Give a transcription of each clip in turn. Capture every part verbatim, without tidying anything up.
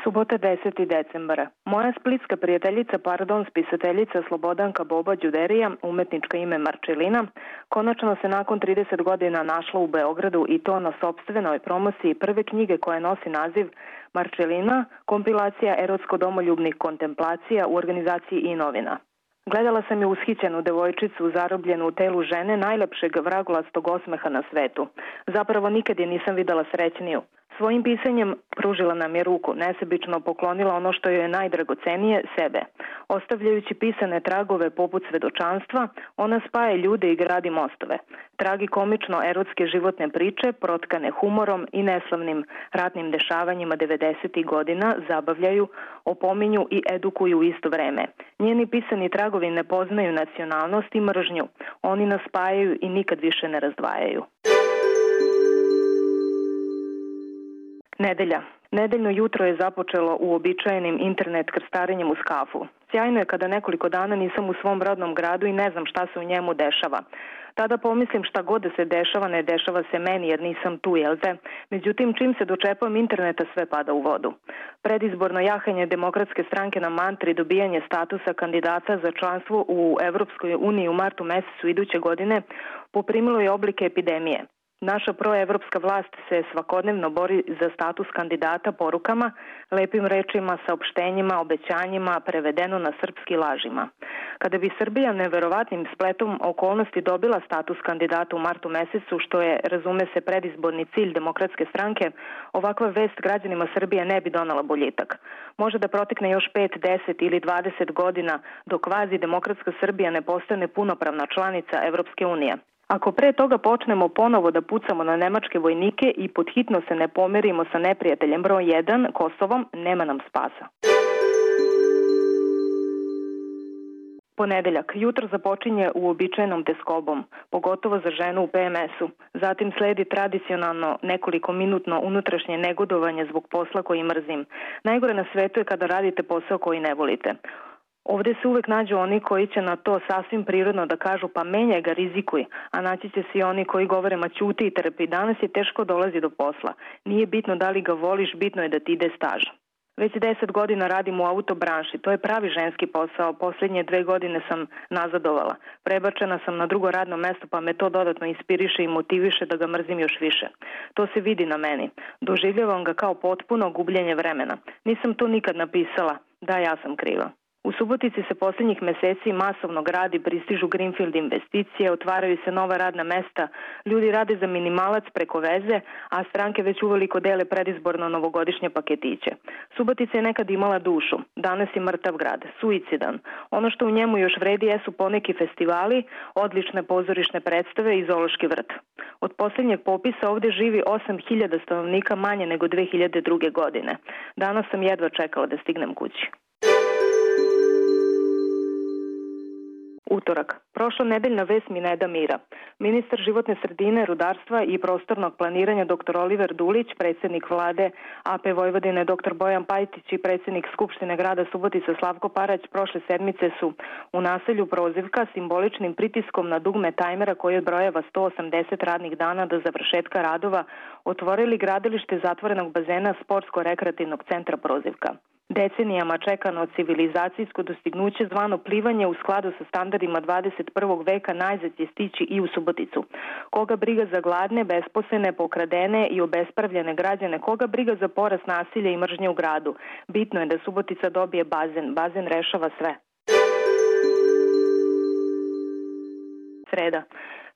Subota deseti decembara. Moja splitska prijateljica, pardon, spisateljica Slobodanka Boba Đuderija, umetnička ime Marčelina, konačno se nakon trideset godina našla u Beogradu i to na sopstvenoj promociji prve knjige koja nosi naziv Marčelina, kompilacija erotsko-domoljubnih kontemplacija u organizaciji i novina. Gledala sam je ushićenu devojčicu zarobljenu u telu žene najlepšeg vragolastog osmeha na svetu. Zapravo nikad je nisam videla srećniju. Svojim pisanjem pružila nam je ruku, nesebično poklonila ono što joj je najdragocenije, sebe. Ostavljajući pisane tragove poput svedočanstva, ona spaja ljude i gradi mostove. Tragikomično erotske životne priče, protkane humorom i neslavnim ratnim dešavanjima devedesetih godina, zabavljaju, opominju i edukuju u isto vreme. Njeni pisani tragovi ne poznaju nacionalnost i mržnju. Oni nas spajaju i nikad više ne razdvajaju. Nedelja. Nedeljno jutro je započelo uobičajenim internet krstarenjem uz kafu. Sjajno je kada nekoliko dana nisam u svom rodnom gradu i ne znam šta se u njemu dešava. Tada pomislim šta god da se dešava, ne dešava se meni jer nisam tu, jel te? Međutim, čim se dočepam interneta, sve pada u vodu. Predizborno jahanje Demokratske stranke na mantri dobijanje statusa kandidata za članstvo u Evropskoj uniji u martu mesecu iduće godine poprimilo je oblike epidemije. Naša proevropska vlast se svakodnevno bori za status kandidata porukama, lepim rečima, saopštenjima, obećanjima, prevedeno na srpski lažima. Kada bi Srbija neverovatnim spletom okolnosti dobila status kandidata u martu mesecu, što je, razume se, predizborni cilj Demokratske stranke, ovakva vest građanima Srbije ne bi donala boljitak. Može da protekne još pet, deset ili dvadeset godina dok kvazi Demokratska Srbija ne postane punopravna članica Evropske unije. Ako pre toga počnemo ponovo da pucamo na nemačke vojnike i podhitno se ne pomerimo sa neprijateljem broj jedan, Kosovom, nema nam spasa. Ponedeljak. Jutro započinje uobičajenom teskobom, pogotovo za ženu u P M S-u. Zatim sledi tradicionalno nekoliko minutno unutrašnje negodovanje zbog posla koji mrzim. Najgore na svetu je kada radite posao koji ne volite. Ovde se uvek nađu oni koji će na to sasvim prirodno da kažu pa menjaj ga, rizikuj, a naći će se i oni koji govore ma ćuti i trpi. Danas je teško dolazi do posla. Nije bitno da li ga voliš, bitno je da ti ide staž. Već deset godina radim u autobranši, to je pravi ženski posao, posljednje dve godine sam nazadovala. Prebačena sam na drugo radno mesto pa me to dodatno inspiriše i motiviše da ga mrzim još više. To se vidi na meni. Doživljavam ga kao potpuno gubljenje vremena. Nisam to nikad napisala, da ja sam kriva. U Subotici se posljednjih meseci masovno gradi, pristižu greenfield investicije, otvaraju se nova radna mesta, ljudi rade za minimalac preko veze, a stranke već uveliko dele predizborno novogodišnje paketiće. Subotica je nekad imala dušu, danas je mrtav grad, suicidan. Ono što u njemu još vredi jesu poneki festivali, odlične pozorišne predstave i zoološki vrt. Od posljednjeg popisa ovdje živi osam hiljada stanovnika manje nego dve hiljade druge. godine. Danas sam jedva čekala da stignem kući. Utorak. Prošla nedeljna vest mi ne da mira. Ministar životne sredine, rudarstva i prostornog planiranja dr Oliver Dulić, predsjednik vlade A P Vojvodine dr Bojan Pajtić i predsjednik Skupštine grada Subotica Slavko Parać prošle sedmice su u naselju Prozivka simboličnim pritiskom na dugme tajmera koji odbrojava sto osamdeset radnih dana do završetka radova otvorili gradilište zatvorenog bazena Sportsko-rekreativnog centra Prozivka. Decenijama čekano civilizacijsko dostignuće zvano plivanje u skladu sa standardima dvadeset prvog veka najzad će stići i u Suboticu. Koga briga za gladne, besposlene, pokradene i obespravljene građane, koga briga za porast nasilja i mržnje u gradu. Bitno je da Subotica dobije bazen. Bazen rešava sve. Sreda.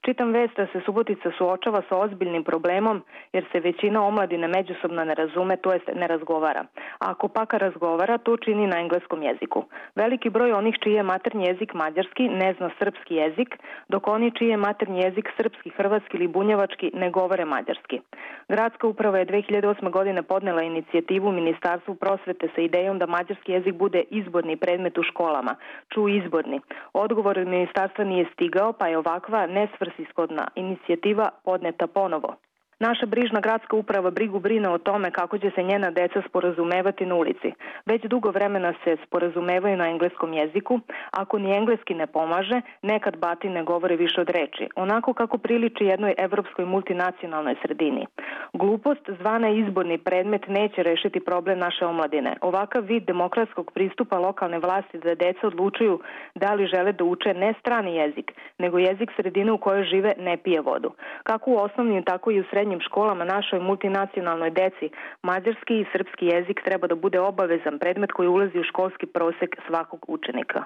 Čitam vest da se Subotica suočava sa ozbiljnim problemom jer se većina omladine međusobno ne razume, to jest ne razgovara. A ako pak razgovara, to čini na engleskom jeziku. Veliki broj onih čiji je maternji jezik mađarski ne zna srpski jezik, dok oni čiji je maternji jezik srpski, hrvatski ili bunjevački ne govore mađarski. Gradska uprava je dve hiljade osme. godine podnela inicijativu Ministarstvu prosvete sa idejom da mađarski jezik bude izborni predmet u školama. Ču izborni. Odgovor od ministarstva nije stigao, pa je ovakva nesvrsishodna inicijativa podneta ponovo. Naša brižna gradska uprava brigu brine o tome kako će se njena deca sporazumevati na ulici. Već dugo vremena se sporazumevaju na engleskom jeziku. Ako ni engleski ne pomaže, nekad bati ne govore više od reči, onako kako priliči jednoj evropskoj multinacionalnoj sredini. Glupost zvana izborni predmet neće rešiti problem naše omladine. Ovakav vid demokratskog pristupa lokalne vlasti da deca odlučuju da li žele da uče ne strani jezik, nego jezik sredine u kojoj žive ne pije vodu. Kako u osnovnim, tako i u srednjim školama našoj multinacionalnoj deci mađarski i srpski jezik treba da bude obavezan predmet koji ulazi u školski prosek svakog učenika.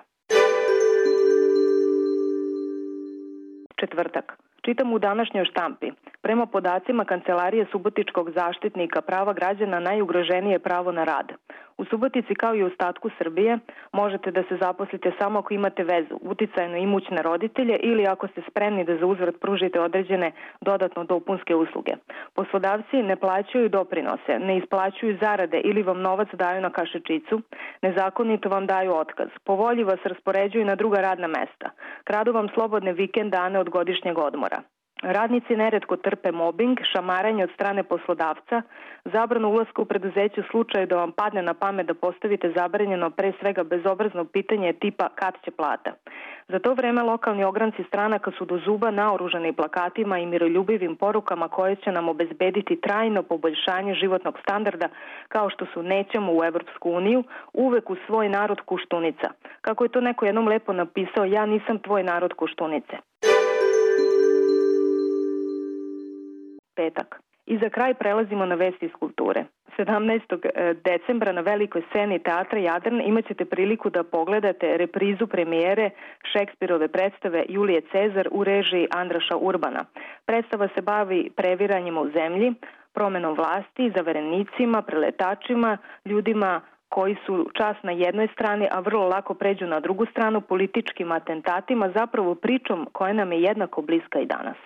Četvrtak. Čitam u današnjoj štampi. Prema podacima Kancelarije Subotičkog zaštitnika prava građana najugroženije je pravo na rad. U Subotici kao i u ostatku Srbije možete da se zaposlite samo ako imate vezu, uticajno imućne roditelje ili ako ste spremni da za uzvrat pružite određene dodatno dopunske usluge. Poslodavci ne plaćaju doprinose, ne isplaćuju zarade ili vam novac daju na kašičicu, nezakonito vam daju otkaz. Po volji vas raspoređuju na druga radna mesta. Kradu vam slobodne vikend dane od godišnjeg odmora. Radnici neretko trpe mobing, šamaranje od strane poslodavca, zabranu ulaska u preduzeće u slučaju da vam padne na pamet da postavite zabranjeno pre svega bezobrazno pitanje tipa kad će plata. Za to vreme lokalni ogranci stranaka su do zuba naoružani plakatima i miroljubivim porukama koje će nam obezbediti trajno poboljšanje životnog standarda kao što su nećemo u Evropsku uniju, uvek u svoj narod Kuštunica. Kako je to neko jednom lepo napisao, ja nisam tvoj narod Kuštunice. Petak. I za kraj prelazimo na vesti iz kulture. sedamnaestog decembra na velikoj sceni Teatra Jadran imat ćete priliku da pogledate reprizu premijere Šekspirove predstave Julije Cezar u režiji Andraša Urbana. Predstava se bavi previranjima u zemlji, promenom vlasti, zaverenicima, preletačima, ljudima koji su čas na jednoj strani, a vrlo lako pređu na drugu stranu, političkim atentatima, zapravo pričom koja nam je jednako bliska i danas.